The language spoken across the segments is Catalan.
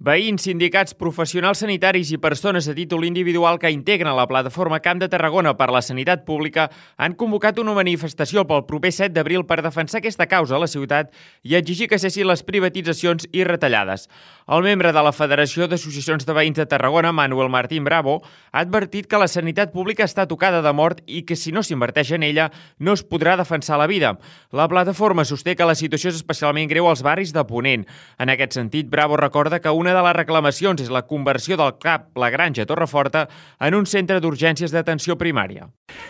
Veïns, sindicats, professionals sanitaris i persones a títol individual que integren la plataforma Camp de Tarragona per la Sanitat Pública han convocat una manifestació pel proper 7 d'abril per defensar aquesta causa a la ciutat i exigir que cessin les privatitzacions i retallades. El membre de la Federació d'Associacions de Veïns de Tarragona, Manuel Martín Bravo, ha advertit que la sanitat pública està tocada de mort i que si no s'inverteix en ella no es podrà defensar la vida. La plataforma sosté que la situació és especialment greu als barris de Ponent. En aquest sentit, Bravo recorda que una de les reclamacions és la conversió del CAP La Granja Torreforta en un centre d'urgències d'atenció primària.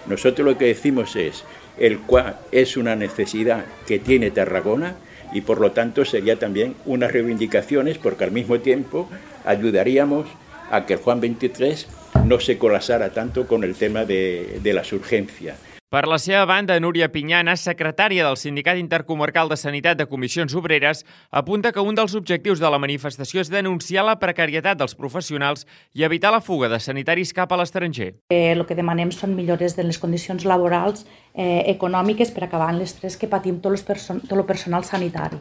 Nosotros lo que decimos es, el cual es una necesidad que tiene Tarragona y por lo tanto sería también unas reivindicaciones porque al mismo tiempo ayudaríamos a que el Juan 23 no se colapsara tanto con el tema de las urgencias. Per la seva banda, Núria Pinyana, secretària del Sindicat Intercomarcal de Sanitat de Comissions Obreres, apunta que un dels objectius de la manifestació és denunciar la precarietat dels professionals i evitar la fuga de sanitaris cap a l'estranger. El que demanem són millores de les condicions laborals econòmiques per acabar amb l'estrès que patim tot el personal sanitari.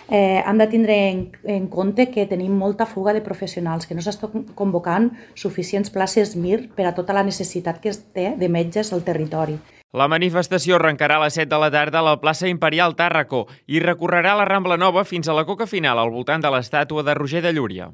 Hem de tindre en compte que tenim molta fuga de professionals, que no s'està convocant suficients places MIR per a tota la necessitat que es té de metges al territori. La manifestació arrencarà a les 7 de la tarda a la plaça Imperial Tàrraco i recorrerà la Rambla Nova fins a la coca final al voltant de l'estàtua de Roger de Llúria.